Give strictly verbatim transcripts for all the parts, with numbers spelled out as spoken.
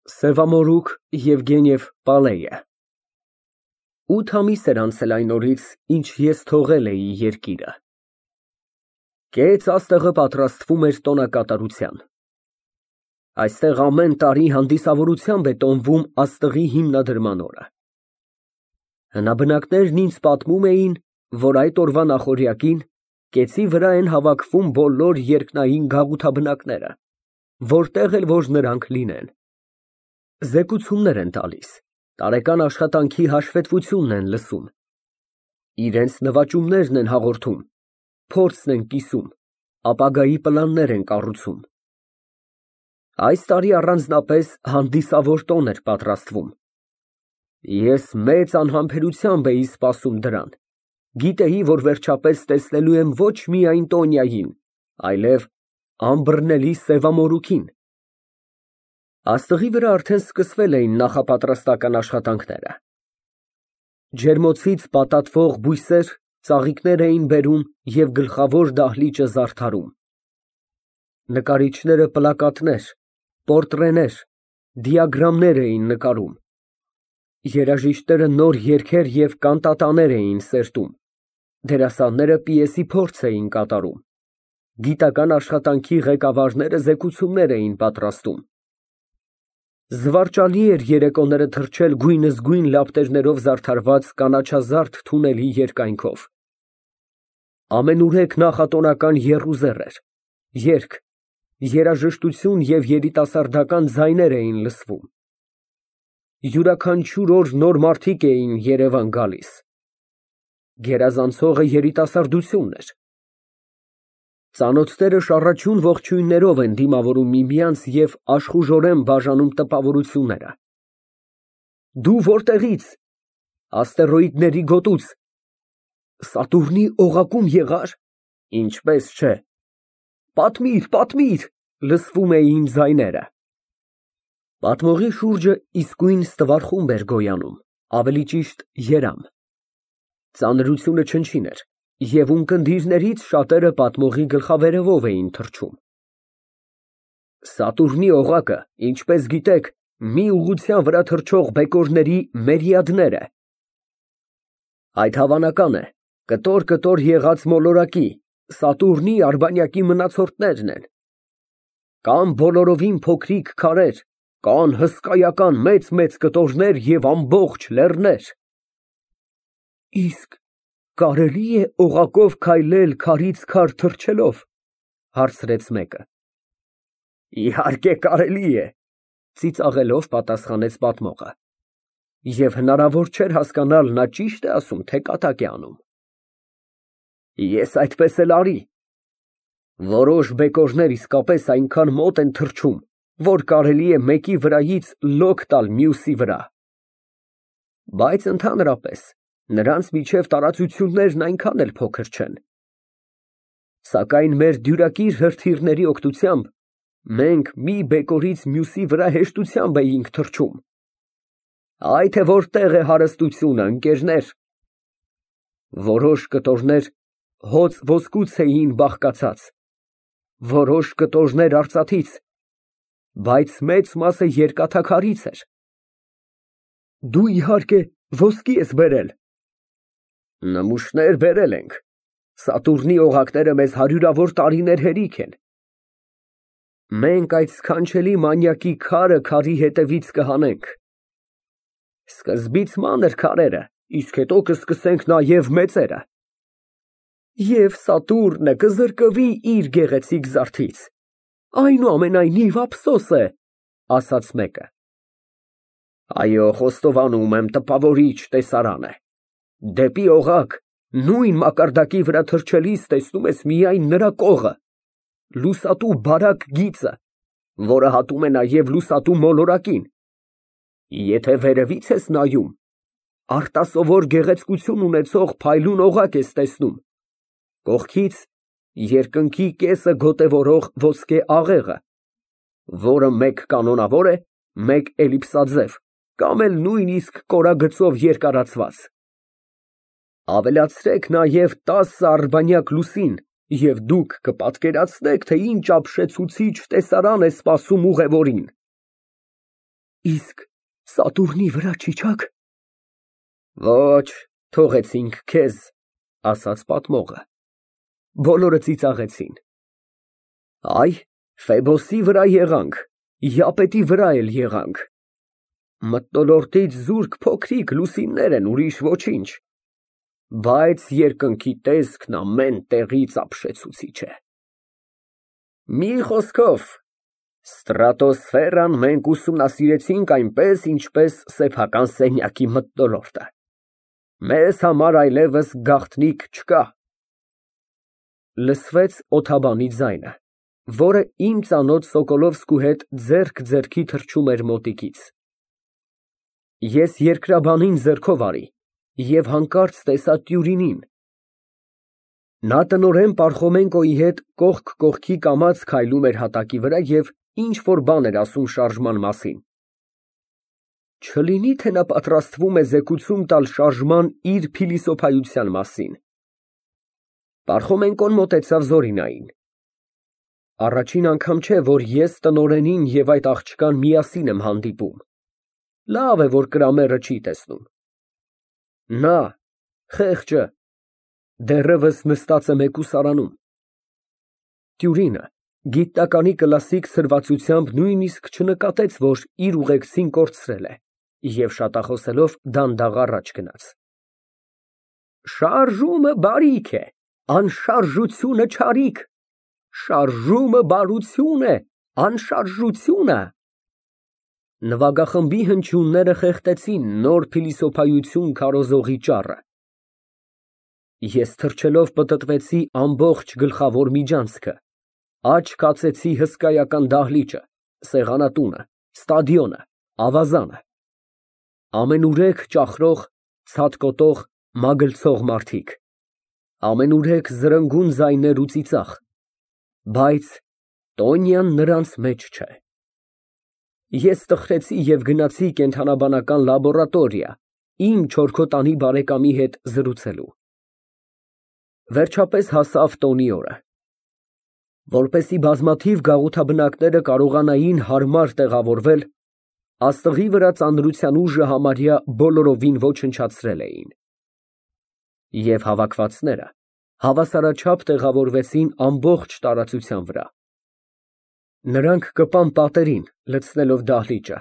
Սևամորուք Եվգենիև Պալեյը Ութ ամիս էր անցել այն օրից, ինչ ես թողել էի երկիրը։ Կեց աստղը պատրաստվում էր տոնակատարության։ Այստեղ ամեն տարի հանդիսավորությամբ է տոնվում աստղի հիմնադրման օրը։ Հնաբնակներն ինձ պատմում էին, որ այդ օրվա նախօրյակին կեցի վրա են հավաքվում բոլոր երկնային գաղութաբնակները, որտեղ էլ որ նրանք լինեն։ Զեկուցումներ են տալիս, տարեկան աշխատանքի հաշվետվությունն են լսում, իրենց նվաճումներն են հաղորդում, փորձն են կիսում, ապագայի պլաններ են կառուցում։ Այս տարի առանձնապես հանդիսավոր տոն էր պատրաստվում։ Ես մեծ անհամբերությամբ էի սպասում դրան, գիտեի, որ վերջապես տեսնելու եմ ոչ միայն Տոնյային, այլև անբռնելի Սևամորուքին։ Աստղի վրա արդեն սկսվել էին նախապատրաստական աշխատանքները։ Ջերմոցից պատատվող բույսեր ծաղիկներ էին բերում և գլխավոր դահլիճը զարդարում։ Նկարիչները պլակատներ, պորտրեներ, դիագրամներ էին նկարում։ Երաժիշտները նոր երգեր և կանտատաներ էին սերտում, դերասանները պիեսի փորձ էին կատարում, գիտական աշխատանքի ղեկավարները զեկուցումներ էին պատրաստում։ Զվարճալի էր երեկոները թռչել գույնզգույն լապտերներով զարդարված կանաչազարդ թունելի երկայնքով։ Ամենուրեք նախատոնական եռուզեռ էր, երգ, երաժշտություն և երիտասարդական ձայներ էին լսվում։ Յուրաքանչյուր օր նոր մարդիկ էին Երևան գալիս։ Գերազանցողը երիտասարդությունն էր։ Ծանոթները շառաչյուն ողջույններով են դիմավորում միմյանց և աշխուժորեն բաժանում տպավորությունները։ Դու որտեղի՞ց։ Աստերոիդների գոտուց։ Սատուրնի օղակում եղա՞ր։ Ինչպես չէ։ Պատմիր, պատմիր, լսվում էին ձայները։ Պատմողի շուրջը իսկույն ստվար խումբ էր գոյանում, ավելի ճիշտ երամ։ Ծանրությունը չնչին էր, և ունկնդիրներից շատերը պատմողի գլխավերևով էին թռչում։ Սատուրնի օղակը, ինչպես գիտեք, մի ուղղության վրա թռչող բեկորների մերիադներ է։ Այդ հավանական է, կտոր֊կտոր եղած մոլորակի, Սատուրնի արբանյակի մնացորդներն են։ Կան բոլորովին փոքրիկ քարեր, կան հսկայական մեծ֊մեծ կտորներ և ամբողջ լեռներ։ Իսկ կարելի է օղակով քայլել քարից քար թռչելով, հարցրեց մեկը։ Իհարկե կարելի է, ծիծաղելով պատասխանեց պատմողը, և հնարավոր չէր հասկանալ նա ճի՞շտ է ասում, թե կատակ է անում։ Ես այդպես էլ արի։ Որոշ բեկորներ իսկապես այնքան մոտ են թռչում, որ կարելի է մեկի վրայից լոկ տալ մյուսի վրա։ Բայց ընդհանրապես նրանց միջև տարածություններն այնքան էլ փոքր չեն։ Սակայն մեր դյուրակիր հրթիռների օգնությամբ մենք մի բեկորից մյուսի վրա հեշտությամբ էինք թռչում։ Այ թե որտեղ է հարստությունը, ընկերներ։ Որոշ կտորներ հոծ ոսկուց էին բաղկացած, որոշ կտորներ արծաթից, բայց մեծ մասը երկաթաքարից էր։ Դու իհարկե ոսկի ես բերել։ Նմուշներ բերել ենք։ Սատուրնի օղակները մեզ հարյուրավոր տարիներ հերիք են։ Մենք այդ սքանչելի մանյակի քարը քարի հետևից կհանենք։ Սկզբից մանր քարերը, իսկ հետո կսկսենք նաև մեծերը։ Եվ Սատուրնը կզրկվի իր գեղեցիկ զարդից։ Այնուամենայնիվ ափսոս է, ասաց մեկը։ Այո, խոստովանում եմ, տպավորիչ տեսարան է։ Դեպի օղակ, նույն մակարդակի վրա թռչելիս տեսնում ես միայն նրա կողը, լուսատու բարակ գիծը, որը հատում է նաև լուսատու մոլորակին։ Եթե վերևից ես նայում, արտասովոր գեղեցկություն ունեցող փայլուն օղակ ես տեսնում, կողքից երկնքի կեսը գոտևորող ոսկե աղեղը, որը մեկ կանոնավոր է, մեկ էլիպսաձև, կամ էլ նույնիսկ կորագծով երկարացված։ Ավելացրեք նաև տասը արբանյակ լուսին, և դուք կպատկերացնեք, թե ինչ ապշեցուցիչ տեսարան է սպասում ուղևորին։ Իսկ Սատուրնի վրա չիչա՞ք։ Ոչ, թողեցինք քեզ, ասաց պատմողը։ Բոլորը ծիծաղեցին։ Այ, Ֆեբոսի վրա եղանք, Յապետի վրա էլ եղանք։ Մթնոլորտից զուրկ փոքրիկ լուսիններ են, ուրիշ ոչինչ, բայց երկնքի տեսքն ամեն տեղից ապշեցուցիչ է։ Մի խոսքով, ստրատոսֆերան մենք ուսումնասիրեցինք այնպես, ինչպես սեփական սենյակի մթնոլորտը։ Մեզ համար այլևս գաղտնիք չկա։ Լսվեց օդաբանի ձայնը, որը իմ ծանոթ Սոկոլովսկու հետ ձեռք ձեռքի թռչում էր մոտիկից։ Ես երկրաբանին ձեռքով արի և հանկարծ տեսա Տյուրինին։ Նա տնօրեն Պարխոմենկոյի հետ կողք կողքի կամաց քայլում էր հատակի վրա և ինչ֊որ բան էր ասում շարժման մասին։ Չլինի՞ թե նա պատրաստվում է զեկուցում տալ շարժման իր փիլիսոփայության մասին։ Պարխոմենկոն մոտեցավ Զորինային։ Առաջին անգամ չէ, որ ես տնօրենին և այդ աղջկան միասին եմ հանդիպում։ Լավ է, որ Կրամերը չի տեսնում։ Նա, խեղճը, դեռևս նստած է մեկուսարանում։ Տյուրինը գիտնականի կլասիկ սրվածությամբ նույնիսկ չնկատեց, որ իր ուղեկցին կորցրել է, և շատախոսելով դանդաղ առաջ գնաց։ Շարժումը բարիք է, անշարժությունը չարիք, շարժումը բարություն է, անշարժությունը։ Նվագախմբի հնչյունները խեղդեցին նոր փիլիսոփայություն քարոզողի ճառը։ Ես թռչելով պտտվեցի ամբողջ գլխավոր միջանցքը, աջ քացեցի հսկայական դահլիճը, սեղանատունը, ստադիոնը, ավազանը։ Ամենուրեք ճախրող, ցատկոտող, մագլցող մարդիկ, ամենուրեք զրնգուն ձայներ ու ծիծաղ, բայց Տոնյան նրանց մեջ չէ։ Ես տխրեցի և գնացի կենդանաբանական լաբորատորիա իմ չորքոտանի բարեկամի հետ զրուցելու։ Վերջապես հասավ տոնի օրը։ Որպեսզի բազմաթիվ գաղութաբնակները կարողանային հարմար տեղավորվել, աստղի վրա ծանրության ուժը համարյա բոլորովին ոչնչացրել էին։ Եվ հավաքվածները հավասարաչափ տեղավորվեցին ամբողջ տարածության վրա։ Նրանք կպան պատերին, լցնելով դահլիճը,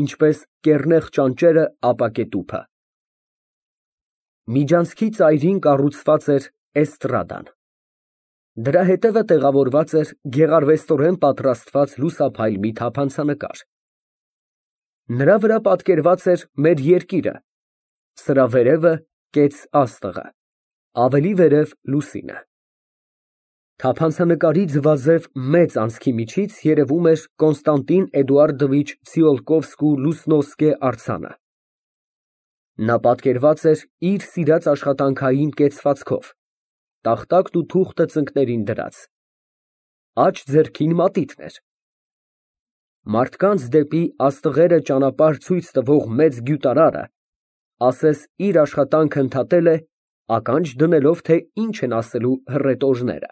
ինչպես կեռնեղ ճանճերը ապակե տուփը։ Միջանցքի ծայրին կառուցված էր էստրադան։ Դրա հետևը տեղավորված էր գեղարվեստորեն պատրաստված լուսափայլ մի թափանցանկար։ Նրա վրա պատկերված էր մեր երկիրը, սրա վերևը կեց աստղը, ավելի վերև լուսինը։ Թափանցանկարի ձվաձև մեծ անցքի միջից երևում էր Կոնստանտին Էդուարդովիչ Ցիոլկովսկու Լուսնովսկե արձանը։ Նա պատկերված էր իր սիրած աշխատանքային կեցվածքով, տախտակն ու թուղթը ծնկներին դրած, աջ ձեռքին մատիտն էր։ Մարդկանց դեպի աստղերը ճանապարհ ցույց տվող մեծ գյուտարարը ասես իր աշխատանքը ընդհատել է, ականջ դնելով, թե ինչ են ասելու հռետորները։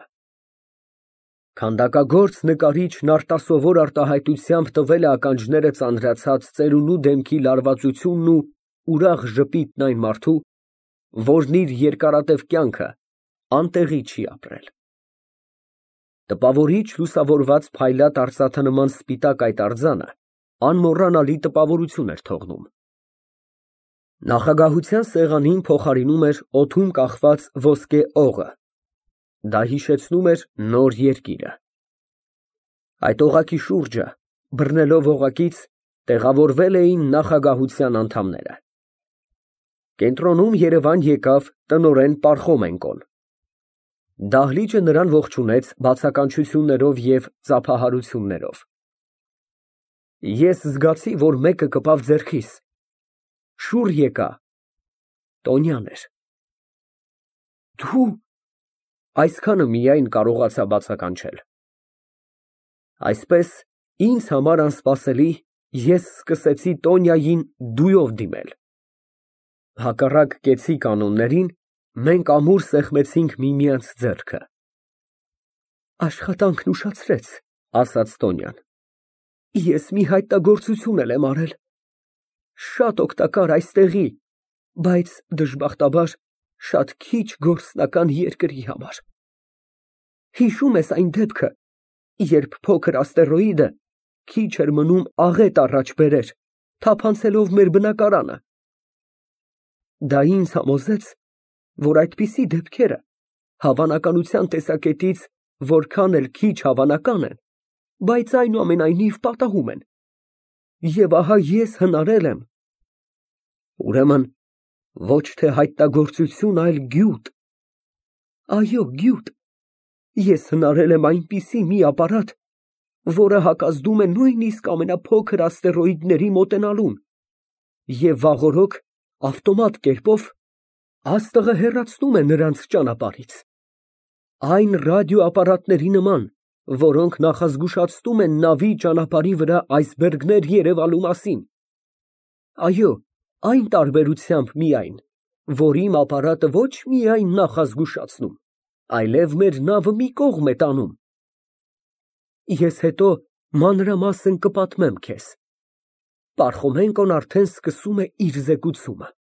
Քանդակագործ նկարիչն արտասովոր արտահայտությամբ տվել է ականջները ծանրացած ծերունու դեմքի լարվածությունն ու ուրախ ժպիտն այն մարդու, որն իր երկարատև կյանքը անտեղի չի ապրել։ Տպավորիչ լուսավորված փայլատ արծաթանման սպիտակ այդ արձանը անմոռանալի տպավորություն էր թողնում։ Նախագահության սեղանին փոխարինում էր օդում կախված ոսկե օղը, դա հիշեցնում էր նոր երկիրը։ Այդ օղակի շուրջը, բռնելով օղակից, տեղավորվել էին նախագահության անդամները։ Կենտրոնում Երևան եկավ տնօրեն Պարխոմենկոն։ Դահլիճը նրան ողջունեց բացականչություններով և ծափահարություններով։ Ես զգացի, որ մեկը կպավ ձեռքիս, շուռ եկա, Տոնյան էր։ Դու… այսքանը միայն կարողացա բացականչել։ Այսպես, ինձ համար անսպասելի, ես սկսեցի Տոնյային դույով դիմել։ Հակառակ կեցի կանոններին, մենք ամուր սեղմեցինք միմյանց ձեռքը։ Աշխատանքն ուշացրեց, ասաց Տոնյան։ Ես մի հայտնագործություն էլ եմ արել, շատ օգտակար այստեղի, բայց դժբախտաբար շատ քիչ գործնական երկրի համար։ Հիշո՞ւմ ես այն դեպքը, երբ փոքր աստերոիդը քիչ էր մնում աղետ առաջ բերեր, թափանցելով մեր բնակարանը։ Դա ինձ համոզեց, որ այդպիսի դեպքերը հավանականության տեսակետից որքան էլ քիչ հավանական են, բայց այնուամենայնիվ պատահում են։ Եվ ահա ես հնարել եմ… Ուրեմն ոչ թե հայտնագործություն, այլ գյուտ։ Այո, գյուտ։ Ես հնարել եմ այնպիսի մի ապարատ, որը հակազդում է նույնիսկ ամենափոքր աստերոիդների մոտենալուն, և վաղօրոք ավտոմատ կերպով աստղը հեռացնում է նրանց ճանապարհից, այն ռադիոապարատների նման, որոնք նախազգուշացնում են նավի ճանապարհի վրա այսբերգներ երևալու մասին։ Այո, այն տարբերությամբ միայն, որ իմ ապարատը ոչ միայն նախազգուշացնում, այլև մեր նավը մի կողմ է տանում։ Ես հետո մանրամասն կպատմեմ քեզ։ Պարխոմենկոն արդեն սկսում է իր զեկուցումը։